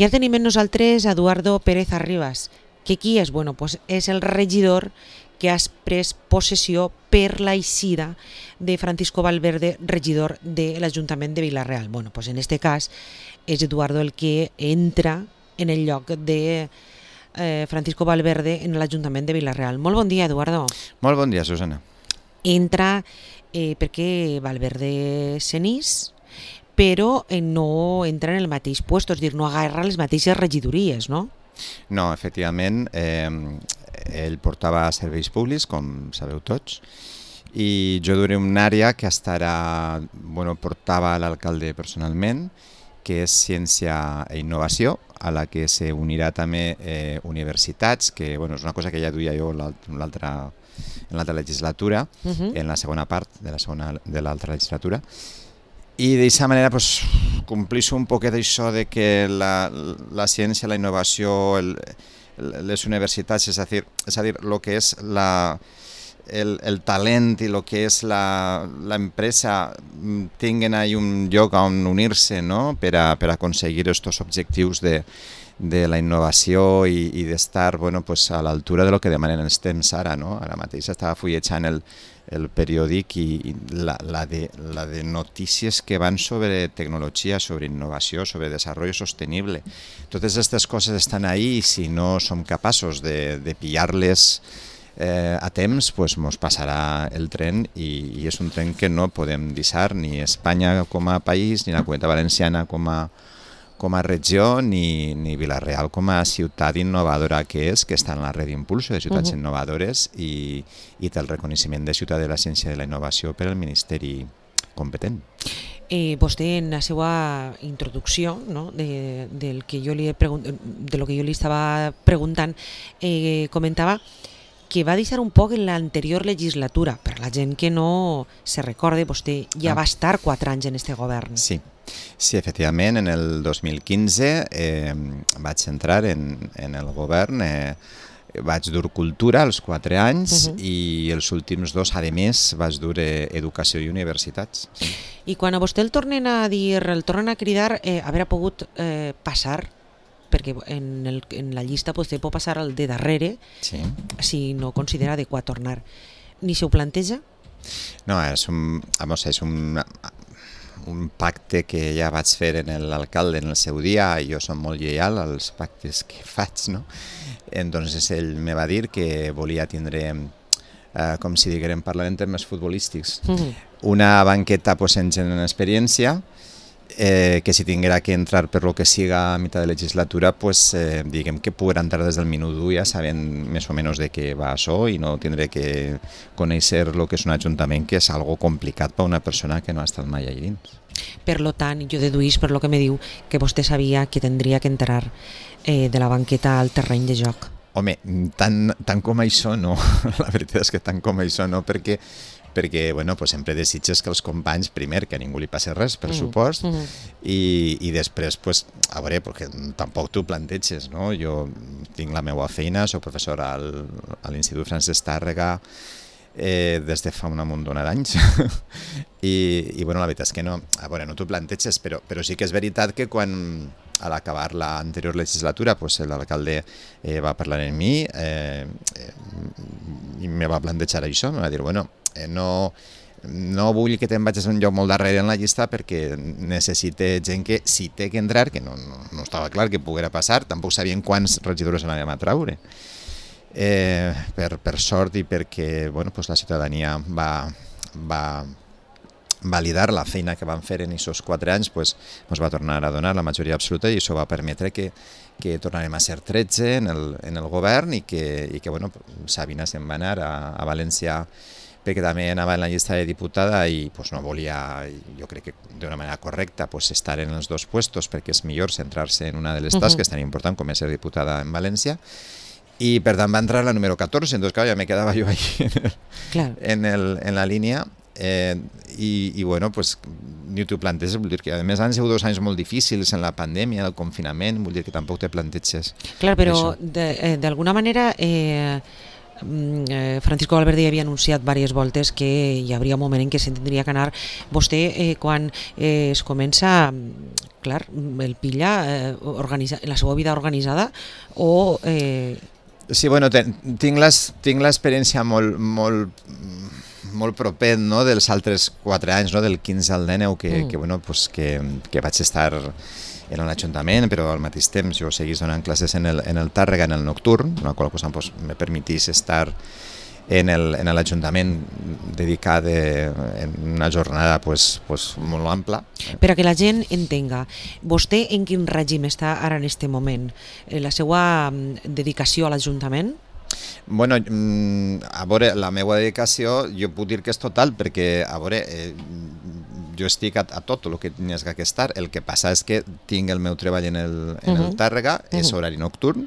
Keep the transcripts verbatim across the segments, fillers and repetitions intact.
Ja tenim amb nosaltres Eduardo Pérez Arribas, que qui és? Bueno, pues és el regidor que ha pres possessió per l'eixida de Francisco Valverde, regidor de l'Ajuntament de Vila-real. Bueno, pues en este cas és Eduardo el que entra en el lloc de eh, Francisco Valverde en l'Ajuntament de Vila-real. Molt bon dia, Eduardo. Molt bon dia, Susana. Entra eh, perquè Valverde se n'és, però eh, no entra en el mateix puesto, és dir, no agarra les mateixes regidories, no? No, efectivament, eh, ell portava serveis públics, com sabeu tots, i jo duré una àrea que estarà, bueno, portava l'alcalde personalment, que és ciència i innovació, a la que s'unirà també eh, universitats, que bueno, és una cosa que ja duia jo en l'altra en l'altra legislatura, uh-huh. en la segona part de la segona de l'altra legislatura, i d'aquesta manera pues, complís un poquet això de que la, la ciència, la innovació, el, les universitats, és a dir, és a dir, el que és la, el, el talent i el que és l'empresa tinguen ahí un lloc on unir-se, no? per, a, per a aconseguir aquests objectius de, de la innovació i, i d'estar bueno, pues, a l'altura de lo que demanen els temps ara. No? Ara mateix estava fullejant el, el periòdic i la, la, de, la de notícies que van sobre tecnologia, sobre innovació, sobre desenvolupament sostenible. Totes aquestes coses estan ahí i si no som capaços de, de pillar-les eh, a temps, pues mos passarà el tren i, i és un tren que no podem deixar ni Espanya com a país, ni la Comunitat Valenciana com a com a regió, ni, ni Vila-real com a ciutat innovadora que és, que està en la red d'impulso de ciutats uh-huh. innovadores i, i té el reconeixement de ciutat de la ciència i de la innovació per al Ministeri competent. Eh, vostè en la seva introducció, no, de, del que jo li he pregunt, de lo que jo li estava preguntant, eh, comentava que va deixar un poc en l'anterior legislatura. Per la gent que no se recorde, vostè ja ah. va estar quatre anys en este govern. Sí. Sí, efectivament, en el dos mil quinze eh, vaig entrar en, en el govern, eh, vaig dur cultura els quatre anys uh-huh. i els últims dos, a més, vaig dur eh, educació i universitats. Sí. I quan a vostè el tornen a dir, el tornen a cridar, eh, haver pogut eh, passar, perquè en, el, en la llista vostè pot passar al de darrere, sí. si no considera adequat tornar. Ni se ho planteja? No, és un... Vamos, és un un pacte que ja vaig fer en l'alcalde en el seu dia, i jo som molt lleial als pactes que faig, no? Entonces ell me va dir que volia tindre, eh, com si diguem, parlant en termes futbolístics, mm-hmm. una banqueta pues, en gent en experiència, eh, que si tinguera que entrar per lo que siga a mitjà de legislatura, pues, eh, diguem que poguera entrar des del minut u ja sabent més o menys de què va això i no tindré que conèixer el que és un ajuntament, que és algo complicat per una persona que no ha estat mai allà dins. Per lo tant, jo deduís per lo que me diu que vostè sabia que tindria que entrar eh, de la banqueta al terreny de joc. Home, tant, tant com això no, la veritat és que tant com això no, perquè perquè bueno, pues sempre desitges que els companys, primer, que a ningú li passi res, per mm. supost, mm. i, i després, pues, a veure, perquè tampoc t'ho planteges, no? Jo tinc la meva feina, soc professor al, a l'Institut Francesc Tàrrega eh, des de fa una muntona d'anys, I, i bueno, la veritat és que no, a veure, no t'ho planteges, però, però sí que és veritat que quan a l'acabar l'anterior legislatura, pues, l'alcalde eh, va parlar amb mi eh, eh, i me va plantejar això, me va dir, bueno, eh, no, no vull que te'n vagis a un lloc molt darrere en la llista perquè necessite gent que si té que entrar, que no, no, no estava clar que poguera passar, tampoc sabien quants regidors anàvem a traure. Eh, per, per sort i perquè bueno, pues la ciutadania va, va validar la feina que van fer en aquests quatre anys, pues, ens va tornar a donar la majoria absoluta i això va permetre que, que tornarem a ser tretze en el, en el govern i que, i que bueno, Sabina se'n va anar a, a València perquè també anava en la llista de diputada i pues, no volia, jo crec que d'una manera correcta, pues, estar en els dos puestos perquè és millor centrar-se en una de les tasques uh-huh. tan important com és ser diputada en València. I per tant va entrar la número catorze, entonces claro, ja me quedava jo ahí en, el, claro. en, el, en la línia. Eh, i, i bueno, pues, ni t'ho planteges, vull dir que a més han sigut dos anys molt difícils en la pandèmia, el confinament, vull dir que tampoc te planteges. Clar, però d'alguna manera eh, eh, Francisco Valverde ja havia anunciat diverses voltes que hi hauria un moment en què se'n tindria que anar. Vostè, eh, quan eh, es comença, clar, el pilla eh, organitza, la seva vida organitzada o... Eh... Sí, bueno, ten, tinc l'experiència molt, molt, molt proper, no?, dels altres quatre anys, no?, del quinze al dinou, que, mm. que, bueno, pues que, que vaig estar en l'Ajuntament, però al mateix temps jo seguís donant classes en el, en el Tàrrega, en el nocturn, la qual cosa pues, me permetís estar en l'Ajuntament dedicat en una jornada pues, pues, molt ampla. Per a que la gent entenga, vostè en quin règim està ara en aquest moment? La seva dedicació a l'Ajuntament? Bueno, a veure, la meva dedicació jo puc dir que és total perquè, a veure, eh, jo estic a, a tot el que tingués que estar. El que passa és que tinc el meu treball en el, en el Tàrrega, és horari nocturn,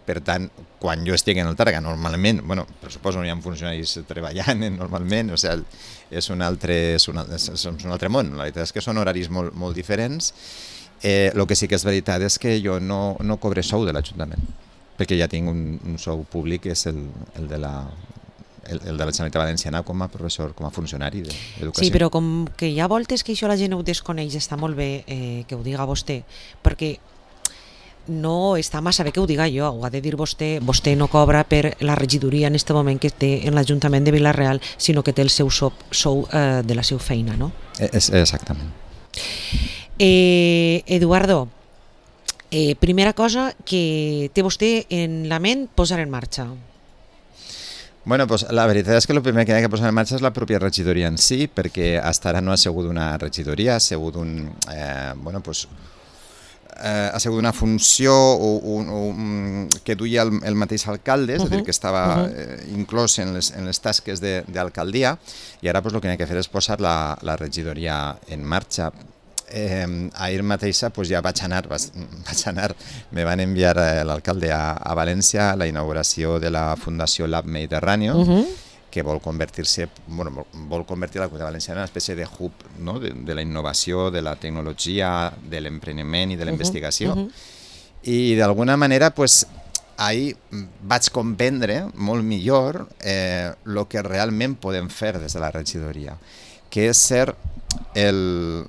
per tant, quan jo estic en el Tàrrega, normalment, bueno, per suposo no hi ha funcionaris treballant normalment, o sigui, és un altre, és un, és un altre món, la veritat és que són horaris molt, molt diferents. Eh, el que sí que és veritat és que jo no, no cobre sou de l'Ajuntament, perquè ja tinc un, un sou públic, que és el, el de la... El, el de la Generalitat Valenciana com a professor, com a funcionari d'educació. Sí, però com que hi ha voltes que això la gent ho desconeix, està molt bé eh, que ho diga vostè, perquè no està massa bé que ho diga jo, ho ha de dir vostè. Vostè no cobra per la regidoria en aquest moment que té en l'Ajuntament de Vila-real, sinó que té el seu sou, sou eh, de la seva feina, no? És, exactament. Eh, Eduardo, eh, primera cosa que té vostè en la ment posar en marxa. Bueno, pues la veritat és que el primer que hi ha que posar en marxa és la pròpia regidoria en si, perquè fins ara no ha sigut una regidoria, ha sigut un, eh, bueno, pues, eh, ha sigut una funció o, un, un, que duia el, el mateix alcalde, és a dir, que estava eh, inclòs en les, en les tasques d'alcaldia, i ara pues, el que hi ha que fer és posar la, la regidoria en marxa. Eh, ahir mateixa pues, ja vaig anar, vaig, vaig anar, me van enviar eh, l'alcalde a, a València a la inauguració de la Fundació Lab Mediterráneo, uh -huh. que vol convertir-se, bueno, vol convertir la Comunitat Valenciana en una espècie de hub, no?, de, de la innovació, de la tecnologia, de l'empreniment i de la investigació. Uh -huh. I d'alguna manera, pues, ahir vaig comprendre molt millor eh, el que realment podem fer des de la regidoria, que és ser el...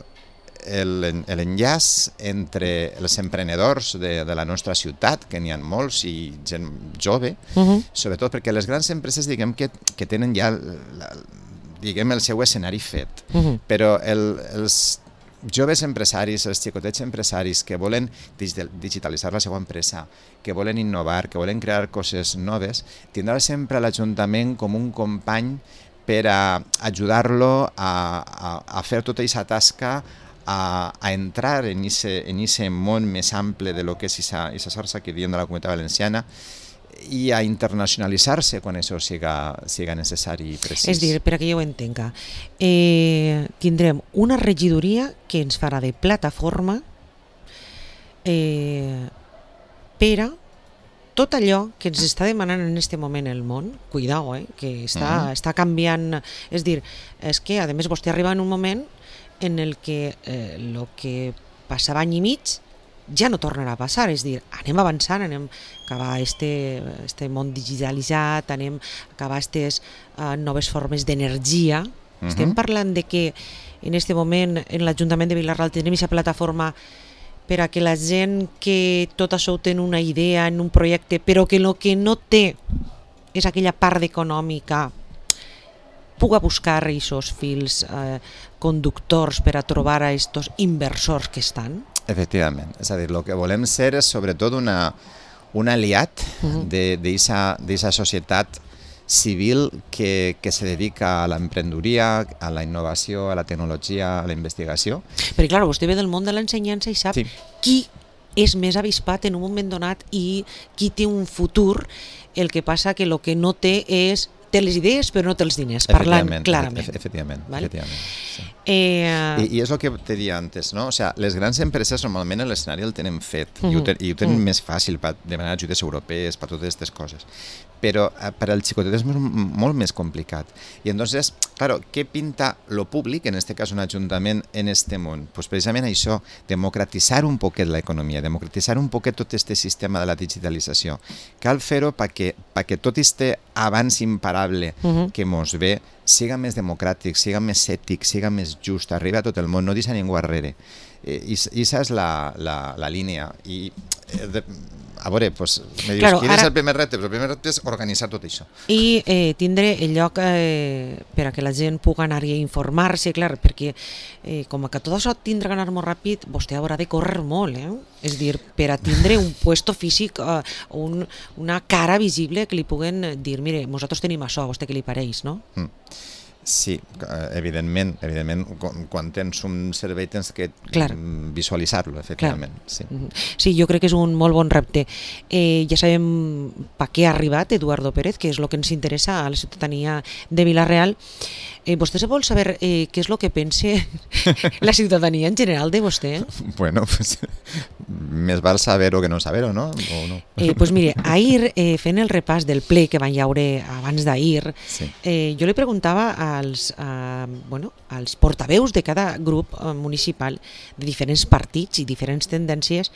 l'enllaç entre els emprenedors de, de la nostra ciutat, que n'hi ha molts, i gent jove, uh -huh. sobretot perquè les grans empreses, diguem, que, que tenen ja la, diguem, el seu escenari fet, uh -huh. però el, els joves empresaris, els xicotets empresaris que volen digitalitzar la seva empresa, que volen innovar, que volen crear coses noves, tindrà sempre l'Ajuntament com un company per a ajudar-lo a, a, a fer tota aquesta tasca, A, a entrar en aquest món més ample de lo que és aquesta xarxa que diem de la Comunitat Valenciana i a internacionalitzar-se quan això siga, siga necessari i precís. És dir, per a que jo ho entenga, eh, tindrem una regidoria que ens farà de plataforma eh, per a tot allò que ens està demanant en aquest moment el món. Cuidao, eh, que està, uh -huh. està canviant. És dir, és que a més vostè arriba en un moment en el que eh, lo que passava any i mig ja no tornarà a passar, és dir, anem avançant, anem a acabar este, este món digitalitzat, anem a acabar aquestes uh, noves formes d'energia. Uh-huh. Estem parlant de que en aquest moment en l'Ajuntament de Vila-real tenim aquesta plataforma per a que la gent que tot això ho té en una idea, en un projecte, però que el que no té és aquella part econòmica, puga buscar aquests fils eh, conductors per a trobar a aquests inversors que estan? Efectivament, és a dir, el que volem ser és sobretot una, un aliat uh-huh. d'aquesta societat civil que, que se dedica a l'emprenedoria, a la innovació, a la tecnologia, a la investigació. Perquè, clar, vostè ve del món de l'ensenyança i sap sí. qui és més avispat en un moment donat i qui té un futur. El que passa que el que no té és té les idees però no té els diners, parlant clarament. Efectivament, efectivament, efectivament sí. Eh, I, I és el que te dia antes, no? O sea, les grans empreses normalment l'escenari el tenen fet uh -huh. i ho, ten, i ho tenen uh -huh. més fàcil per demanar ajudes europees, per totes aquestes coses. Però eh, per al xicotet és molt més complicat. I entonces, claro, què pinta lo públic, en este cas un ajuntament, en este món? Pues precisament això, democratitzar un poquet l'economia, democratitzar un poquet tot este sistema de la digitalització. Cal fer-ho perquè, perquè tot este avanç imparable uh -huh. que mos ve siga més democràtic, siga més ètic, siga més just, arriba a tot el món, no deixa ningú darrere. I aquesta és la, la, la línia. I de, a veure, pues, me dius, claro, quin ara... és el primer repte? El primer repte és organitzar tot això. I eh, tindre el lloc eh, per a que la gent pugui anar-hi a informar-se, clar, perquè eh, com que tot això tindrà que anar molt ràpid, vostè haurà de córrer molt, eh? És dir, per a tindre un puesto físic, eh, un, una cara visible que li puguen dir, mire, nosaltres tenim això, a vostè què li pareix, no? Mm. Sí, evidentment, evidentment, quan tens un servei tens que visualitzar-lo, efectivament. Sí. sí, jo crec que és un molt bon repte. Eh, ja sabem per què ha arribat Eduardo Pérez, que és el que ens interessa a la ciutadania de Vila-real. Eh, vostè se vol saber eh, què és el que pensa la ciutadania en general de vostè? Bueno, pues, més val saber-ho que no saber-ho, no? O no? Eh, pues mire, ahir, eh, fent el repàs del ple que van llaure abans d'ahir, sí. eh, jo li preguntava als, eh, bueno, als portaveus de cada grup eh, municipal de diferents partits i diferents tendències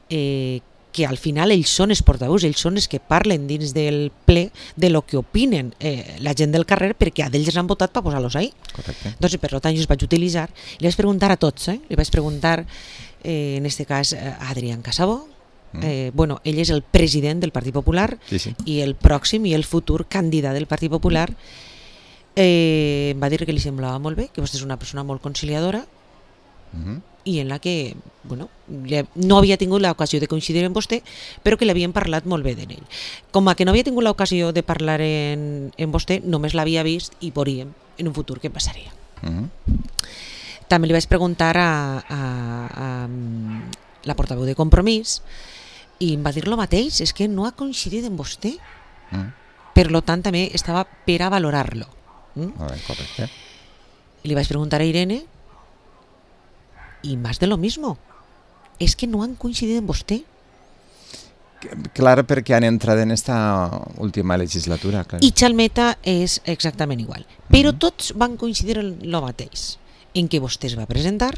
eh, que al final ells són els portaveus, ells són els que parlen dins del ple de lo que opinen eh, la gent del carrer, perquè a d'ells han votat per posar-los ahí. Correcte. Doncs per tant jo els vaig utilitzar, li vaig preguntar a tots, eh? li vaig preguntar eh, en este cas a Adrián Casabó, mm. eh, bueno, ell és el president del Partit Popular sí, sí. i el pròxim i el futur candidat del Partit Popular. Eh, em va dir que li semblava molt bé, que vostè és una persona molt conciliadora, mm-hmm. i en la que bueno, no havia tingut l'ocasió de coincidir amb vostè, però que l'havien parlat molt bé d'ell. Com a que no havia tingut l'ocasió de parlar en, en vostè, només l'havia vist i veuríem en un futur què passaria. Uh-huh. També li vaig preguntar a, a, a, a la portaveu de Compromís i em va dir lo mateix, és que no ha coincidit amb vostè. Uh-huh. Per lo tant, també estava per a valorar-lo. Uh-huh. Uh-huh. Correcte. I li vaig preguntar a Irene y más de lo mismo. Es que no han coincidido en vostè. Claro, perquè han entrat en esta última legislatura. Claro. I Chalmeta és exactament igual. Però mm-hmm. tots van coincidir en lo mateix, en què vostè es va presentar,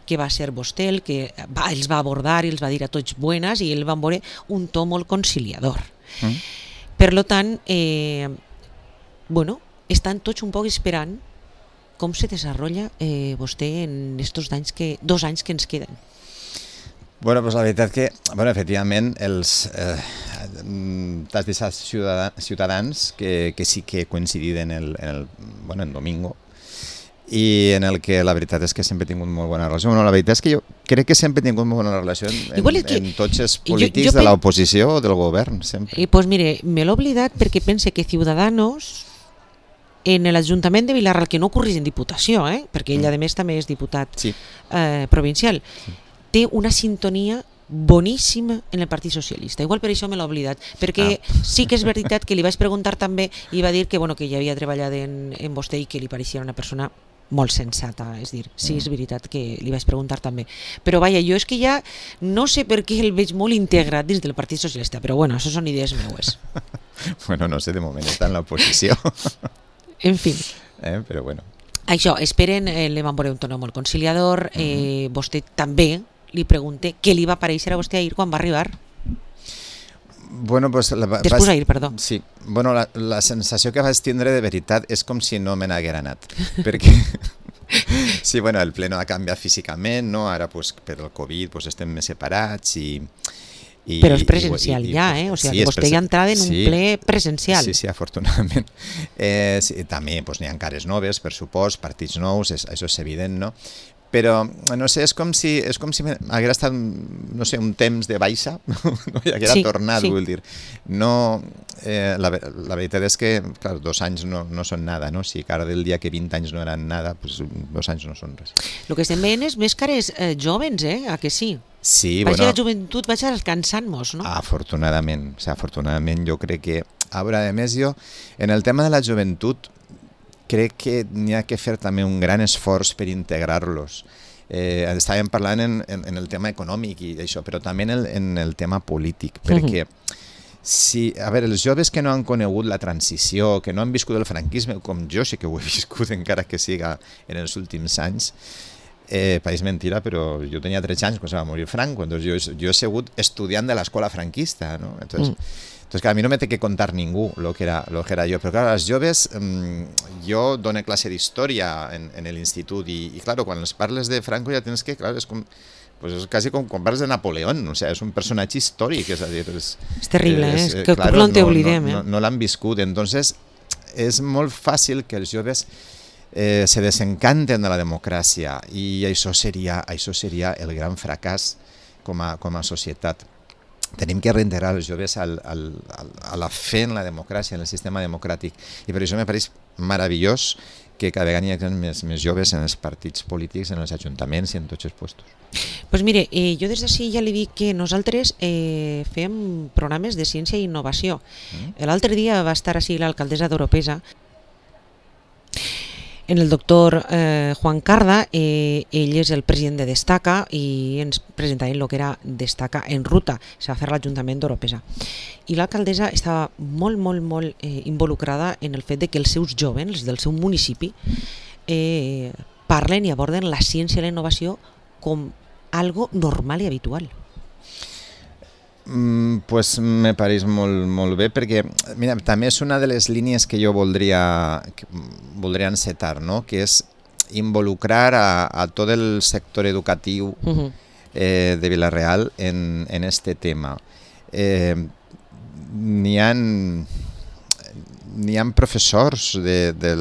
que va ser vostè el que va, els va abordar i els va dir a tots buenas i el van veure un to molt conciliador. Mm. Per lo tant, eh, bueno, estan tots un poc esperant com se desarrolla eh, vostè en estos anys que, dos anys que ens queden. Bueno, pues la veritat que, bueno, efectivament, els eh, t'has deixat ciutadans, ciutadans que, que sí que coincididen en el, en el, bueno, en domingo, i en el que la veritat és que sempre he tingut molt bona relació. Bueno, la veritat és que jo crec que sempre he tingut molt bona relació en, en, que, en tots els polítics jo, jo de l'oposició o del govern, sempre. I pues mire, me l'he oblidat perquè pense que Ciudadanos en l'Ajuntament de Vilarreal, que no ocorreix en Diputació, eh? perquè ell a més també és diputat sí. eh, provincial, sí. té una sintonia boníssima en el Partit Socialista. Igual per això me l'he oblidat, perquè ah. sí que és veritat que li vaig preguntar també i va dir que, bueno, que ja havia treballat en, en vostè i que li pareixia una persona molt sensata, és dir, sí, és veritat que li vaig preguntar també. Però vaja, jo és que ja no sé per què el veig molt integrat dins del Partit Socialista, però bueno, això són idees meues. Bueno, no sé, de moment està en l'oposició. En fi. Eh, però bueno. Això, esperen, eh, li van veure un tono molt conciliador, eh, uh-huh. vostè també li pregunte què li va aparèixer a vostè ahir quan va arribar. Bueno, pues la, Després ahir, perdó. Sí, bueno, la, la sensació que vaig tindre de veritat és com si no me n'haguera anat, perquè sí, bueno, el ple no ha canviat físicament, no? Ara pues, per el Covid pues, estem més separats i I, però és presencial i, i, ja, eh? O sigui, sí, vostè ja entrava en un sí, ple presencial. Sí, sí, afortunadament. Eh, sí, també pues, n'hi ha cares noves, per supost, partits nous, és, això és evident, no? Però, no sé, és com si, és com si hagués estat, no sé, un temps de baixa, no? I haguera sí, tornat, sí. vull dir. No, eh, la, la veritat és que, clar, dos anys no, no són nada, no? Si cara del dia que vint anys no eren nada, pues, dos anys no són res. El que estem veient és més cares eh, jovens, eh? A que sí? Sí, vaig bueno, a la joventut, vaig alcançant-nos, no? Afortunadament, o sigui, afortunadament jo crec que, a veure, a més jo, en el tema de la joventut, crec que n'hi ha que fer també un gran esforç per integrar-los. Eh, estàvem parlant en, en, en el tema econòmic i això, però també en el, en el tema polític, perquè si, a veure, els joves que no han conegut la transició, que no han viscut el franquisme, com jo sí que ho he viscut encara que siga en els últims anys, eh, pareix mentira, però jo tenia tretze anys quan se va morir Franco, doncs jo, jo he sigut estudiant de l'escola franquista, no? Entonces, mm. Entonces, clar, a mi no me té que contar ningú lo que era, lo que era jo, però clar, als joves, mmm, jo dono classe d'història en, en l'institut i, i clar, quan els parles de Franco ja tens que, clar, és com, pues és quasi com quan parles de Napoleón, o sea, és un personatge històric, és a dir... És, és terrible, és, eh? És que claro, no te oblidem, no, no, no, no l'han viscut, entonces és molt fàcil que els joves eh, se desencanten de la democràcia i això seria, això seria el gran fracàs com a, com a societat. Tenim que reintegrar els joves al, al, al, a la fe en la democràcia, en el sistema democràtic. I per això me pareix meravellós que cada vegada hi hagi més, més joves en els partits polítics, en els ajuntaments i en tots els puestos. Pues mire, eh, jo des d'ací ja li dic que nosaltres eh, fem programes de ciència i innovació. Mm. L'altre dia va estar així l'alcaldessa d'Oropesa, en el doctor eh, Juan Carda, eh, ell és el president de Destaca i ens presentaven el que era Destaca en ruta, se va fer l'Ajuntament d'Oropesa. I l'alcaldessa estava molt, molt, molt eh, involucrada en el fet de que els seus jóvens del seu municipi eh, parlen i aborden la ciència i la innovació com algo normal i habitual. Mm, pues me pareix molt, molt bé perquè mira, també és una de les línies que jo voldria, que voldria encetar, no? Que és involucrar a, a tot el sector educatiu uh-huh. eh, de Vila-real en, en este tema. Eh, n'hi ha, n'hi ha professors de, de,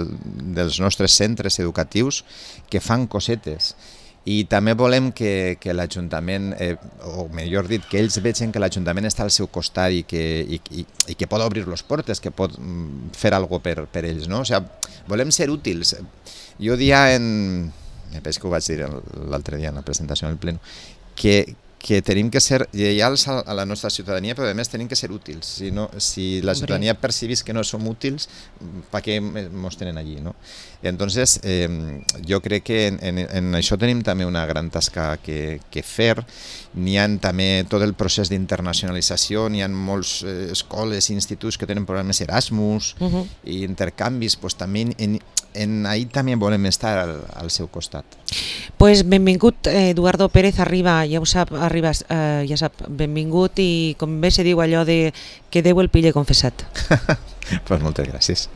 dels nostres centres educatius que fan cosetes. I també volem que, que l'Ajuntament, eh, o millor dit, que ells vegin que l'Ajuntament està al seu costat i que, i, i, i que pot obrir les portes, que pot fer alguna cosa per, per ells. No? O sigui, volem ser útils. Jo dia en... Me penso que ho vaig dir l'altre dia en la presentació en el pleno, que, que tenim que ser lleials a la nostra ciutadania, però a més tenim que ser útils. Si, no, si la ciutadania percibís que no som útils, per què ens tenen allí? No? Entonces, eh, jo crec que en, en, en això tenim també una gran tasca que, que fer. N'hi ha també tot el procés d'internacionalització, n'hi ha molts eh, escoles i instituts que tenen programes Erasmus uh-huh. i intercanvis, pues, també en, en ahí també volem estar al, al seu costat. Pues benvingut, Eduardo Pérez Arriba, ja ho sap, Arribas, eh, ja sap, benvingut i com bé se diu allò de que Déu el pille confessat. Pues moltes gràcies.